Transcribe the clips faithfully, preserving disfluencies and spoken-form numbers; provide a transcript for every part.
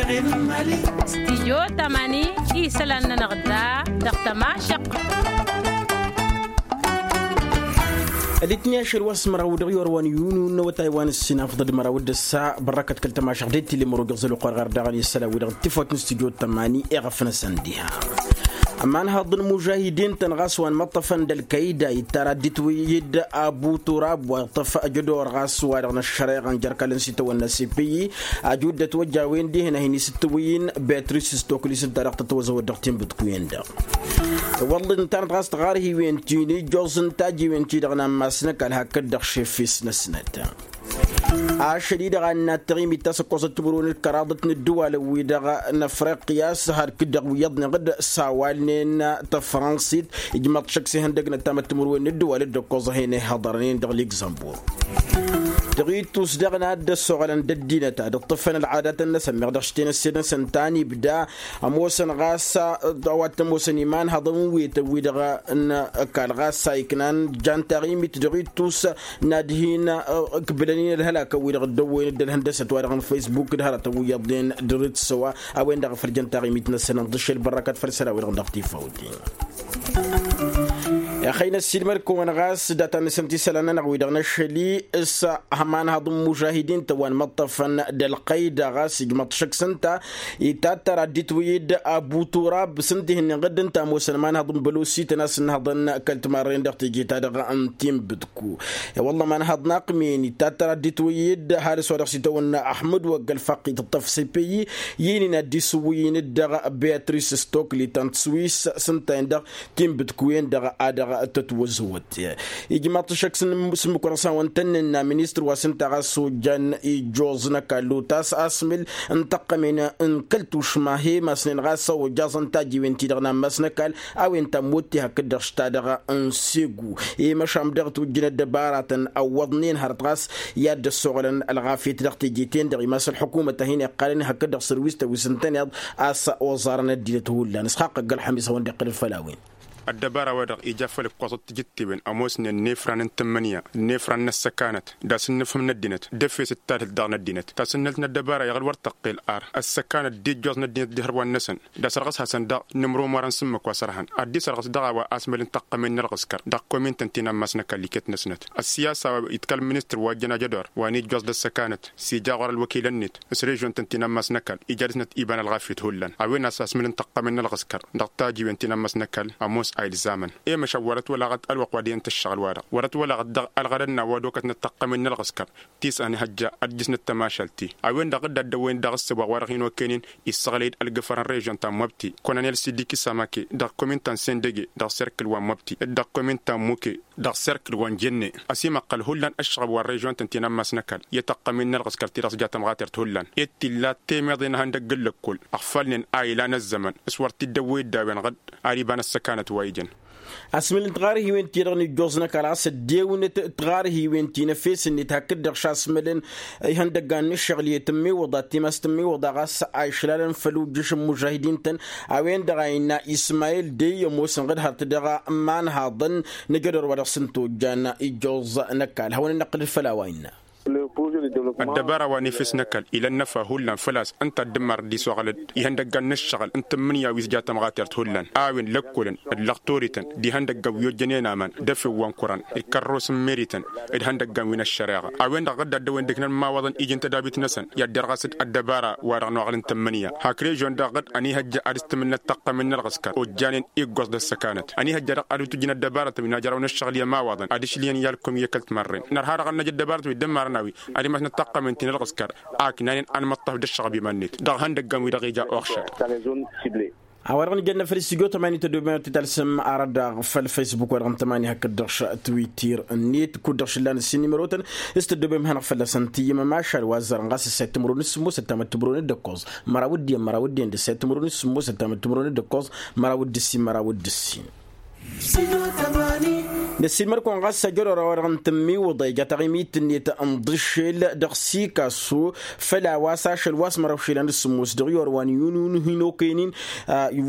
Stijyo tamani isălan-nănăɣ da dăɣ-tămašăq. Ălitni ašăl wa s-măraw dăɣ-i orwan yunu n-awătay wa n-ǝssin afḍăd măraw d-ăssa bărrăkăt kăl-tămašăq d-tilli mărogăɣ zăl uqar ɣar daɣ n-isălan wi dăɣ-tifawt n-stijyo tamani iɣăf n-asăn diha. Ămanhăḍ n-mužahidin-tăn ɣas wa n-imăṭṭăfăn d-ălkayda ittara dd-itwǝyyǝd abu turab wa iṭṭăf ajădor ɣas wa-dăɣ n-ăššăreɣa n-jer-kăl-ǝnsităwăn n-asipǝyyi. Aju dd-ătwăjja a-wen dihen a hin-isǝttǝwǝyyǝn betris s-toklis ǝnta-dăɣ tătwăzăwăt dăɣ-tinbǝtkuyen-dăɣ. Wălla ǝnta n-ɣas tăɣarhiwen ti n-ijjoẓ n-tajiwen ti-dăɣ n-ammas n-ăkall hakd-dăɣ šefes-năsnăt. Ašăl-i-dăɣ a ǝnna tăɣimit ta s-ǝkkoẓăt timǝrwen d-kăraḍăt n-ǝddǝwalăn-wi-dăɣ n-afriqya s-had-kǝddăɣ wi iyyăḍnen ɣǝd s-a-wa ǝlnen tăfrănsit. Ijmaḍ šăkk s-ihăndăgnăt tamăttimǝrwen n-ǝddǝwalăn d-ǝkkoẓăhen ihăḍărnen dăɣ-ligzămbur. Dăɣ-ittus daɣ n-ad-dd-ăssoɣălăn d-ăddinăt ad-ǝṭṭǝfăn ălɣadatăn-năsăn meɣ dăɣ-š tenăsse-năsăn ta n-ibda. Ămoosăn ɣas a-wa t-ămoosăn imanhăḍăn n-wetăn-wi-dăɣ n-ăkall ɣas a iknan jan taɣimit dăɣ-ittus n-ad-hin-ǝkbǝlăn-in ălhălakăn-wi-dăɣ dd-ăwwăyăn dd-ălhăndăsăt wa dăɣ-n faysbuk d-hărătăn wi iyyăḍnen d-ritǝsăwa. A-wen-dăɣ a făl jăn taɣimit-năsăn ǝnḍǝššel bărrăkăt făll-isălan-wi-dăɣ dăɣ-tifawt-i. Ixăynăs-dd mălkăwăn ɣas data-năsăn tisălan-nănăɣ wi-dăɣ n-ašăl-i s-ămanhăḍ n-mužahidin-tăn wa n-imăṭṭăfăn d-ălqăyda ɣas ijmăḍ šăkk s-ǝnta. Itattăr ad-dd-itwǝyyǝd abu turab s-ǝnta ihǝnnin ɣǝdd ǝnta ămoosăn ămanhăḍ n-bălosităn a-s ǝnnăhăḍăn kăl-timarren dăɣ-teje-ta-dăɣ n-tinbǝtku. I-wălla ămanhăḍ n-aqmin itattăr ad-dd-itwǝyyǝd hadǝs wa dăɣ-s itawănna ăḥmăd wăgg ălfăqq itǝṭṭăf sepeyi. I-inin ad-dd-isǝwwǝyyǝn-dd dăɣ-beatrice stokli ta n-tiswis s-ǝnta-in-dăɣ tinbǝtkuyen-dăɣ a dăɣ-tătwăzwăt. Ijmaḍ-t šăkk s-ǝmmǝk wa dăɣ-s hawăn-tăn-nǝnna ministăr wa s-ǝnta ɣas ojjan ijjoẓ n-ăkall otas asmǝl n-tăqqămen n-kăl-tušma he-masnen ɣas a ojjaẓăn tajiwen-ti-dăɣ n-ammas n-ăkall. A-wen ta n-motte hakd-dăɣ š-ta-dăɣ n-segu i-măšan dăɣ-tujjǝn ăddăbaratăn ăwwăḍnen hărăt ɣas i-ad-dd-ăssoɣălăn ălɣafyăt dăɣ-teje-ten-dăɣ imas ălḥukumăt a hin-iqqalăn hakd-dăɣ sărwis tăwis ǝntăneḍ. A-s oẓarăn ăddinăt hullan ǝsxaqq ăgg-ălxămis a-wen-dd-iqqǝl făll-a-wen. Ăddăbara-wa-dăɣ ija făll-ǝkkoẓăt tijǝttewen ămoosnen n-efran n-tǝmmǝnǝya n-efran n-ăssăkanăt d-asǝnnǝfhǝm n-ăddinăt d-efes d-tadhǝlt daɣ n-ăddinăt tasǝnnălt n-ăddăbara iɣǝl wăr tăqqel ar ăssăkanăt d-ijjoẓ n-ăddinăt d-ihărwan-năsăn d-asărɣǝs-hasăn daɣ n-imrumărăn s-ǝmmǝk wa sărhăn ad-dd-isărɣǝs dăɣ-a-wa asmăl n-taqqămen n-ălɣǝskăr dăɣ-komintăn ti n-ammas n-ăkall iket-năsnăt. Ăssiyasa wa itkăl ministăr wa ǝjjăn ajădor wa n-ijjoẓ d-ăssăkanăt s-ija ɣur-ălwăkilăn-net s-režion-tăn ti n-ammas n-ăkall ija dăɣ-snăt iba n-ălɣafyăt hullan a-wen a-s asmăl n-taqqămen n-ălɣǝskăr dăɣ-tajiwen ti n-ammas n-ăkall ămoos a ilzamăn. I-măšan wăr-ătwălaɣăt ălwăqq wa dăɣ-iyăn tǝššăɣǝl-wa-dăɣ wăr-ătwălaɣăt dăɣ-ălɣădăd n-a-wa d-okătnăt taqqămen n-ălɣǝskăr ti s-ănihăjja ad-jǝsnăt tămašalt-i a-wen-dăɣ dd-addăwăyăn daɣ ǝssǝba wa dăɣ-hin-okăynen. Issăɣlăy-dd ălgǝfăr n-režion ta n-măbti kononel sidiki samake dăɣ-komin ta n-sendege dăɣ-serkǝl wa n-măbti d-dăɣ-komin ta n-muke dăɣ-serkǝl wa n-jenne. Ăsimăqqăl hullan ăššăɣăb wa n-režion-tăn ti n-ammas n-ăkall i-tăqqămin n-ălɣǝskăr ti dăɣ-s ja tămɣatert hullan. Ed t-illa temeḍe n-ehăndăgg n-lăkkol ăɣfalnen a ilan ăzzăman s-wăr t-dd-ăwwăy dd-a-wen ɣǝd ar iba n-ăssăkanăt wa ijăn. Asmǝl n-tiɣarhiwen-ti-dăɣ n-ijjoẓ n-ăkall ɣas ăddewnăt tiɣarhiwen-ti n-efes-net hakd-dăɣ šasmǝlăn ihăndăggan n-ǝššăɣǝl i-tǝmmiwǝḍa timas tǝmmiwǝḍa ɣas a išlalăn făll-ujjǝš n-mužahidin-tăn. A-wen-dăɣ a innă ismayil dey ămoosăn ɣǝd hărăt dăɣ-imanhaḍăn n-ajădor wa dăɣ-s ǝnta ojjan ijjoẓ n-ăkall hawăn-in-năqqǝl făll-a-wa innă. Ăddăbara wa n-efes n-ăkall ila ănnăfa hullan făl-a-s ǝnta dd-ǝmmar dd-isoɣălăd ihăndăggan n-ǝššăɣǝl n-tǝmmǝnǝya wi s-ja tămɣatert hullan a-wen lăkkolăn d-lăxtorităn d-ihăndăggan wi ojjănen aman d-efew wa n-kuran d-kărros n-merităn d-ihăndăggan wi n-ăššăreɣa. A-wen-dăɣ dd-addăwen d-iknăn imawaḍăn iji n-tădabit-năsăn i-ad-derɣas d-ăddăbara wa dăɣ-nuɣăl n-tǝmmǝnǝya hak režion-dăɣ ɣǝd ănihăjja ad-ǝstǝmǝlnăt taqqămen n-ălɣǝskăr ojjanen iggoẓ d-ăssăkanăt ănihăjja dăɣ-ad-utǝjjǝn ăddăbarătăn wi n-ajrăwăn ǝššăɣǝl i-ămawaḍăn ad-išlǝyăn i-alkum i-kăl-timarren. Nărha dăɣ-ad-năj ăddăbarătăn wi dd-ămmarăn a-wi ad-imasnăt taqqămen ti n-ălɣǝskăr a ǝknanen ad-nǝmăṭṭăf d-ăššăɣăb iman-net dăɣ-ihăndăggan-wi-dăɣ ija uɣšăd. A-wa-dăɣ nǝjănna făll-istijyo tămani tăddoben ad-t-talsǝm arăt daɣ făll-faysbuk wa dăɣ-n tămani hakd-dăɣ š-twitter-net kud-dăɣ šǝllan ǝssin nimărotăn s-tăddoben hanăɣ-fălla-săn tǝyyǝm ămašal wa ăzzarăn ɣas ǝssay timǝrwen s-sǝmmosăt tamăttǝmǝrwen d-ǝkkoẓ măraw d-iyyăn măraw d-iyyăn d-ǝssay timǝrwen s-sǝmmosăt tamăttǝmǝrwen d-ǝkkoẓ măraw d-ǝssin măraw d-ǝssin. Năssiilmăd-kăwăn ɣas ajăr ora-wa-dăɣ n-tǝmmiwǝḍa ija taɣimit-net n-iḍǝššel dăɣ-sikasso făl a-wa s-ašăl wa s-măraw išilan d-sǝmmos dăɣ-i orwan yunun hin-okăyăn-in.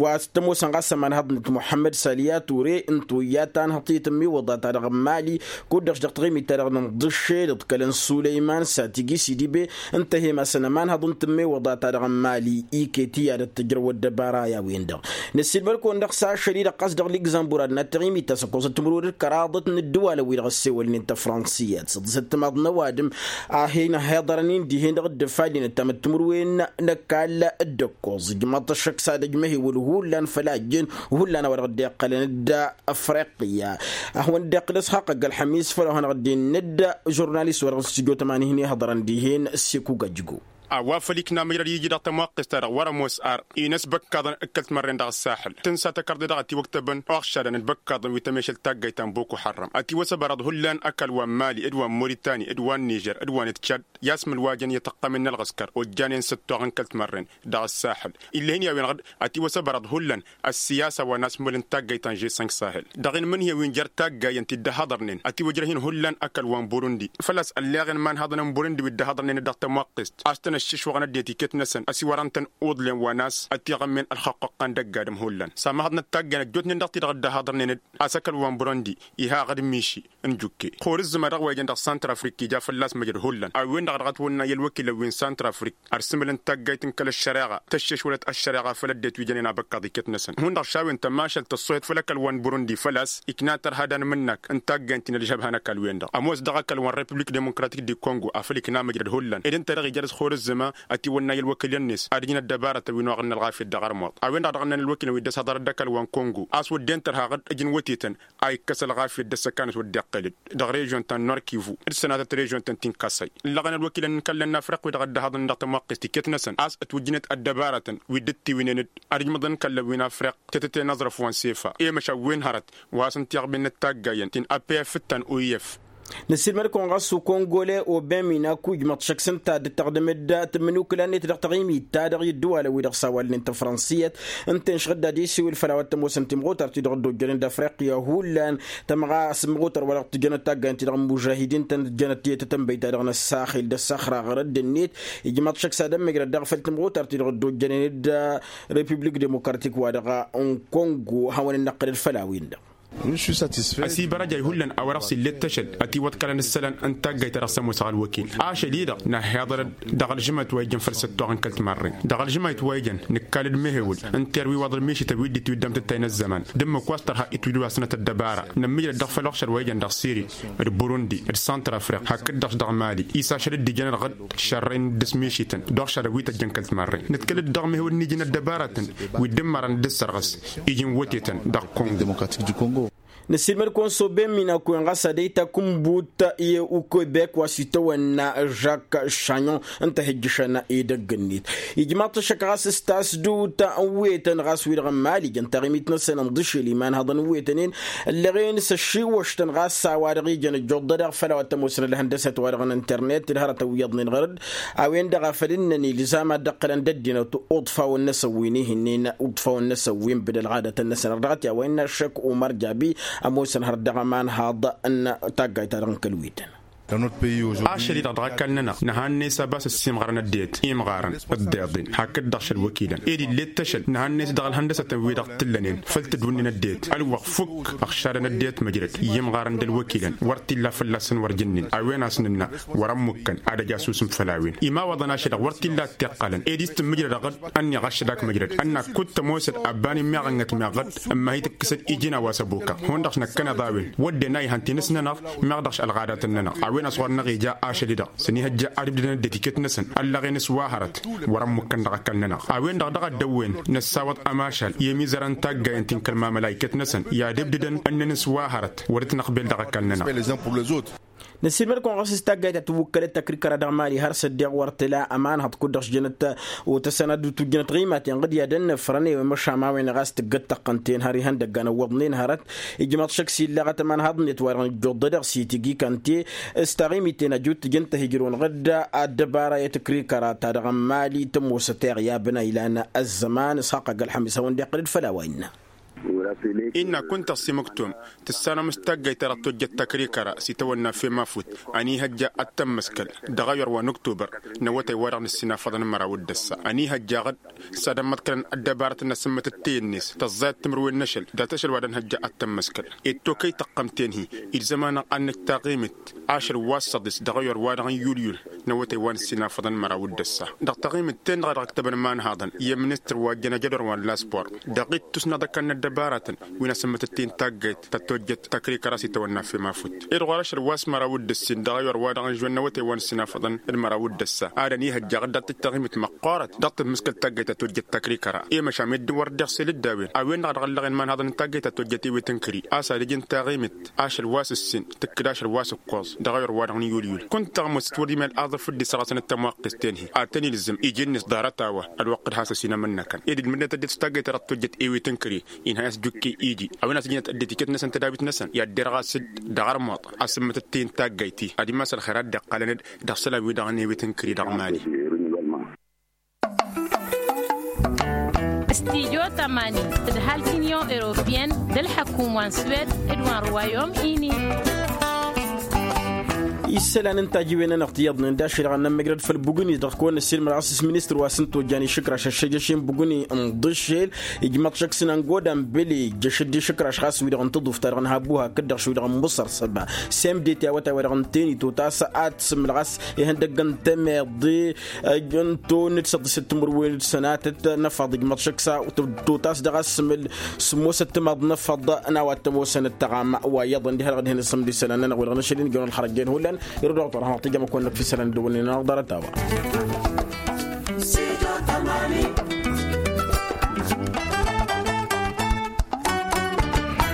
Wa s-tămoosăn ɣas ămanhăḍnet muḥămmăd saliya ture n-toyya ta n-hăḍ-t i-tǝmmiwǝḍa-ta-dăɣ n-mali kud-dăɣ-š dăɣ-taɣimit-ta-dăɣ n-iḍǝššel d-kăl-ănsulăyman satigi sidibe ǝnta a hem-asăn ămanhăḍ n-tǝmmiwǝḍa-ta-dăɣ n-mali iket iyyăr d-tǝjrăw ăddăbara i-a-wen-dăɣ. Năssiilmăd-kăwăn dăɣ-s ašăl-i-dăɣ ɣas dăɣ-ligzămbur ad-năt taɣimit ta s-ăkkoẓăt timǝrwen d-kăraḍăt n-ǝddǝwalăn-wi-dăɣ ăssewălnen tăfransiyăt s-ăḍḍǝsăt timaḍ n-ăwadǝm a hin-ăhhiḍărăn-in dihen-dăɣ dd-ăfallen ăttam d-timǝrwen n-ăkall d-ăkkoẓ ǝjmaḍ-t ăššăk s-ad-ăjmăhewăl hullan făl a ǝjjăn hullan a-wa dăɣ-dd-iqqălăn d-afriqya. A hawăn-dd-iqqǝl s-haqq ăgg-ălxămis făll-a-wa hanăɣ-dd-innă d-žurnalist wa dăɣ-s tǝjot ămanihăn ihăḍărăn dihen s-ikugăjgo. A-wa făl ikna măjrăd iji dăɣ-tămwaqqest-ta-dăɣ wăr-ămoos ar-i n-ăsbăkkaḍăn d-kăl-timărren dăɣ-ăssaḥǝl tǝnsa tăkărḍe dăɣ-ătiwăktăbăn uɣšadăn d-ibăkkaḍăn wi tămešăl taggayt ta n-boko harram ătiwăsăbărăḍ hullan ăkall wa n-mali d-wa n-moritani d-wa n-nižer d-wa n-tšad i-asmǝlwajăn i-tăqqămen n-ălɣǝskăr ojjanen s-ăttoɣ n-kăl-timărren dăɣ-ăssaḥǝl. Ill'-e-hin i-a-wen-dăɣ ătiwăsăbărăḍ hullan ăssiyasa wa n-asmǝl n-taggayt ta n-žesănk sahel dăɣ-inmǝnhǝyăn wi n-jer-taggayăn ti dd-ăhhăḍărnen ătiwăjrăh-in hullan ăkall wa n-burundi făl-a-s ălleɣen imanhăḍăn n-burundi wi dd-ăhhăḍărnen-dd dăɣ-tămwaqqest a-s tăn-ăššišwăɣăn ăddinăt iket-năsăn ăsiwărăn-tăn uḍlen wa n-a-s ătiɣămmen ălxăqqăqqa n-dăgg-adǝm hullan. S-amăhăḍnăt taggayăn ăjjootnen dăɣ-ti-dăɣ dd-ăhhăḍărnen-dd a-s ăkall wa n-burundi iha aɣǝd miši n-jukke. Xor ǝzzǝma dăɣ-wa ijăn dăɣ-santrafrik ija fălla-s măjrăd hullan a-wen-dăɣ dăɣ-ătwănna i-ălwăkilăn wi n-santrafrik ărsǝmǝl n-taggayt n-kăl-ăššăreɣa tăššešwălăt ăššăreɣa făll-ăddinăt wi jănen abăkkaḍ iket-năsăn hundăɣ šawen tămašalt tăṣṣuhet făll-ăkall wa n-burundi făl-a-s ikna tărha d-anmǝnnak n-taggayt ti n-ălžăbha n-ăkall-wen-dăɣ ămoos dăɣ-ăkall wa n-republik demokratik di kongo afăl ikna măjrăd hullan ed ǝnta-dăɣ ija dăɣ-s xor ǝzzǝma ătiwănna i-ălwăkǝlăn-net ad-ǝjǝn ăddăbarătăn wi n-oɣălăn ălɣafyăt dăɣ-armuḍ. A-wen-dăɣ dăɣ-ǝnnan ălwăkǝlăn wi dd-ăshăḍărăt d-ăkall wa n-kongo a-s wădden tărha ɣǝd ǝjǝn wătetăn a ikkăs ălɣafyăt d-ăssăkanăs wădden iqqel-dd dăɣ-režion ta n-norkivu d-sănatăt režion ta n-tinkasăy. Ǝllăɣăn ălwăkilăn n-kăllăn n-afriq wi-dăɣ dd-ăhaḍăn dăɣ-tămwăqqest iket-năsăn a-s ătwǝjjǝnet ăddăbarătăn wi dd-ăttiwǝynen-dd ad-ǝjmăḍăn kăllăn wi n-afriq tetăte n-aẓrăf wa n-sefa i-măšan wi n-hărăt wa s-ǝnta iɣbǝnnet taggayen ti n-apf d-ta n-oyef. Năssiilmăd-kăwăn ɣas ukongole obemina kujmăḍ šăkk s-ǝnta a dd-tăɣdǝm-dd tǝmmǝnukǝla-net dăɣ-taɣimit-ta-dăɣ i-ǝddǝwalăn-wi-dăɣ s-awalnen tăfransiyăt ǝnta-en šăɣ dd-ad-isiwǝl făll-a-wa t-ămoosăn timɣutart-ti-dăɣ dd-ojjănen d-afriqya hullan. Tămɣa s-timɣutar wa dăɣ-tǝjjănăt taggayăn-ti-dăɣ n-mužahidin-tăn tǝjjănăt tiyăt tătănbăy-ta-dăɣ n-ăssaxil d-ăssăxra ɣărădd-net ijmaḍ šăkk s-ad-ămmǝjrăd daɣ făll-timɣutar-ti-dăɣ dd-ojjănen d-repiblik demokratik wa dăɣ-n kongo hawăn-dd-năqqǝlăd făll-a-wen-dăɣ. Ăsibărăjay hullan a-wa dăɣ-s illet ašăl ătiwăḍkălăn ǝssălan n-taggayt ta dăɣ-s ămoosăɣ ălwăkil ašăl-i-dăɣ năhhiḍăr-dd dăɣ-ălžǝmayt wa ijăn făll-săttoɣ n-kăl-timarren dăɣ-ălžǝmayt wa ijăn nǝkkal d-mehewǝl n-terwi wa ḍăl mišităn wi dd-itwǝddăm tǝttay n-ăzzăman d-ǝmmǝk wa s-tărha itwǝjwasnăt ăddăbara nămmǝjrăd dăɣ-făll-oɣšăr wa ijăn dăɣ-siri d-burundi d-santrafriq hakd-dăɣ-š dăɣ-mali. Isăšăl dd-ijăn ălɣăd šărrăy n-ǝddǝs mišităn d-oɣšadăn wi tăjjăn kăl-timarren nǝtkăl-dd dăɣ-mehewǝl n-iji n-ăddăbaratăn wi dd-ǝmmărăn dd-ǝssărɣǝs iji n-wătetăn dăɣ-kongo. Năssiilmăd-kăwăn s-oben minakwen ɣas ad-ăyta kumbut i-ukebek wa s-itawănna žak šaɲon ǝnta a hi-ǝjjǝšăn edăgg-net. Ijmaḍ-t ăššăk ɣas s-tasdut n-wetăn ɣas wi-dăɣ n-mali jăn taɣimit-năsăn ǝnḍǝšel imanhăḍăn n-wetăn-en ǝllăɣen s-ăššiwăštăn ɣas a-wa-dăɣ ijăn ăjjuḍădăɣ făll-a-wa t-ămoosăn ălhăndăsăt-wa-dăɣ n-internet d-hărătăn wi iyyăḍnen ɣăr-dd. A-wen-dăɣ a făl ǝnnăn ilzam ad-dd-ăqqǝlăn d-ăddinăt uḍfawăn-năsăn wi n-ihǝnnen uḍfawăn-năsăn wi n-bǝd ălɣadătăn-năsăn ărdăɣăt i-a-wa innă ăššăk umăr jabi ămoosăn hărăt dăɣ-ămanhaḍ n-taggayt-ta-dăɣ n-kăl-wităn. Ašăl-i-dăɣ dăɣ-ăkall-nănăɣ nǝhannes a bas ăssiimɣărăn ăddinăt imɣarăn ǝḍḍeḍen hakd-dăɣ šăl wăkilăn ed illet ašăl nǝhannes dăɣ-ălhăndăsătăn wi-dăɣ t-ǝllănen făll-tǝdwǝnnin ăddinăt ălwăqq fukk ăɣšadăn ăddinăt măjrăd i-imɣarăn d-ălwăkilăn wăr t-illa fălla-săn wăr jǝnnen a-wen a-s nǝnna wăr-ămmukkăn ad-ăj asusǝm făll-a-wen. Imawăḍăn ašăl-dăɣ wăr t-illa ăttiqqălăn ed iss tǝmmǝjrăd aɣǝd ănniɣ ašăl-ak măjrăd ănn-ak kud-tămoosăd abban immeɣănnăt meɣ ɣǝd ǝmmah-i tǝkkǝsăd iji n-a-wa s-ăbokăɣ hundăɣ-š năkkăneḍ a-wen wădden a ihăn ti n-ǝsnănăɣ meɣ dăɣ-š ălɣadatăn-nănăɣ. A-wen a-s ɣur-năɣ ija ašăl-i-dăɣ s-ănihăjja ad-ǝbdǝdăn ăddinăt iket-năsăn ăllăɣen s-wa hărăt wăr-ămmukkăn dăɣ-ăkall-nănăɣ. A-wen-dăɣ dăɣ-ăddăwwen năssawăḍ ămašal i-ămizărăn n-taggayăn ti n-kăl-mamăla iket-năsăn i-ad-ǝbdǝdăn ǝnnăn s-wa hărăt wăr-dd-năqbel dăɣ-ăkall-nănăɣ. Năssiilmăd-kăwăn ɣas s-taggayt ta tǝwwǝkkălăt tăkrikăra dăɣ-mali har s-ăddiɣ wăr tǝla ămanhăḍ kud-dăɣ-s jănăt otăsăn ad-dd-tujjănăt ɣimaten ɣǝd i-ad-ănnăfrăn i-wămăšam a-wen ɣas tǝggăt tăqqăn-ten har ihăndăggan ăwwăḍnen hărăt. Ijmaḍ šăkk s-illaɣăt ămanhăḍnet wa dăɣ-nǝjjuḍ d-edăɣ s-itǝgi kante s-taɣimiten ăjut tǝjăn-t-ăhijrǝwăn ɣǝd ad-dăbara i-tǝkrikăra ta dăɣ-n mali tămoosăt iɣyabăn a ilan ăzzăman s-haqq ăgg-ălxămis a-wen-dd-iqqǝl-dd făll-a-wa innă. Innă kunta s-imǝktum tǝssanăm s-taggăyt ta dăɣ-tojjăt takrikăra s-itawănna fem afut. Ănihăjja ad-tămmăskăl dăɣ-ayǝr wa n-oktobăr n-awătay wa dăɣ-nǝssin afăḍăn n-măraw d-ăssa ănihăjja aɣǝd s-ad-ămmăḍkălăn ăddăbarăt n-asǝmmătăt teyǝnnes tăẓẓayăt timǝrwen n-ašăl dat-ašăl wa dăɣ-nǝhăjja ad-tămmăskăl. Ed tokăy tăqqăm-ten-hi ilzăman-năɣ ad-nǝj taɣimǝt ašăl wa s-săḍis dăɣ-ayǝr wa dăɣ-n yulyul n-awătay wa n-ǝssin afăḍăn n-măraw d-ăssa. Dăɣ-taɣimǝt-ten-dăɣ a dăɣ-ǝktăbăn imanhaḍăn i-ăministăr wa ǝjjăn ajădor wa n-laspor dăɣ-ittus n-ad-ăkall n-ăddăbaratăn wi n-asǝmmătăt-i n-taggayt ta tojjăt takrikăra s-itawănna fem afut. Ed ɣur-ašăl wa s-măraw d-ǝssin dăɣ-ayǝr wa dăɣ-n žwăn n-awătay wa n-ǝssin afăḍăn d-măraw d-ăssa ad-ănihăjja aɣǝd dat-tǝj taɣimǝt măqqoorăt dăɣ-tǝmmǝskăl taggayt ta tojjăt takrikăra i-măšan meddǝn wăr dd-iɣsel d-a-wen. A-wen-dăɣ a dăɣ-ăllăɣen imanhaḍăn n-taggayt ta tojjăt ewet n-kări a-s ad-ǝjǝn taɣimǝt ašăl wa s-ǝssin tǝkkǝd ašăl wa s-ǝkkoẓ dăɣ-ayǝr wa dăɣ-n yulyul. Kunta tăɣmăst wăr imal aḍǝf dd-isărɣăsăn d-tamwaqqest-ten-hi ad-tăn-ilzǝm iji-net ḍarăt-a-wa ălwăqq d-has-ăsinămăn-năkăn ed ǝlmǝdnăt ăddinăt s-taggayt ta dăɣ-tojjăt ewet n-kări. Inhăy a-s jukki iji a-wen a-s ǝjnăt ăddinăt iket-năsăn tădawit-năsăn i-ad-derɣas-dd dăɣ-armuḍ asǝmmătăt-i n-taggayt-ti ad-imas ălxer ad-dd-iqqalăn-dd dăɣ-isălan-wi-dăɣ n-ewet n-kări dăɣ-mali. Studyo tămani d-ăhalk n-inyon europeyăn d-ălḥăkum wa n-swed d-wa n-ruwayom ini. Isălan n-tajiwen-nănăɣ tiyyăḍnen d-ašăl dăɣ-nămmăjrăd făll-bugǝni dăɣ-kăwăn-năssiilmăd ɣas s-ministăr wa s-ǝntojjan išǝkraš ăššăj ăšin bugǝni n-iḍǝššel ijmăḍ šăkk s-năngoda n-bǝli jăšăd išǝkraš ɣas wi-dăɣ n-tǝḍuft-ta-dăɣ n-habuha kăddaɣ šwi-dăɣ n-muṣăr săba semdet i-awătay wa dăɣ-n teni totas ad-tǝsǝmǝl ɣas ihăndăgg n-temeḍe. Ăjăn-to n-dd-săḍisăt timǝrwen d-sănatăt n-efăḍ ijmăḍ šăkk s-a totas dăɣ-asǝmǝl sǝmmosăt timaḍ n-efăḍ n-a-wa t-ămoosăn ǝttăɣam wa iyyăḍăn diha-dăɣ d-hin-ǝssǝmdǝsăn ad-nănăɣ-wi-dăɣ n-ašăl injăwăn ălxărăjjen hullan. Irǝw dăɣ-tor hanăɣ-tǝjăm ăkk wa n-năkk f-isălan d-wănnen anăɣ-ḍarăt-a-wa.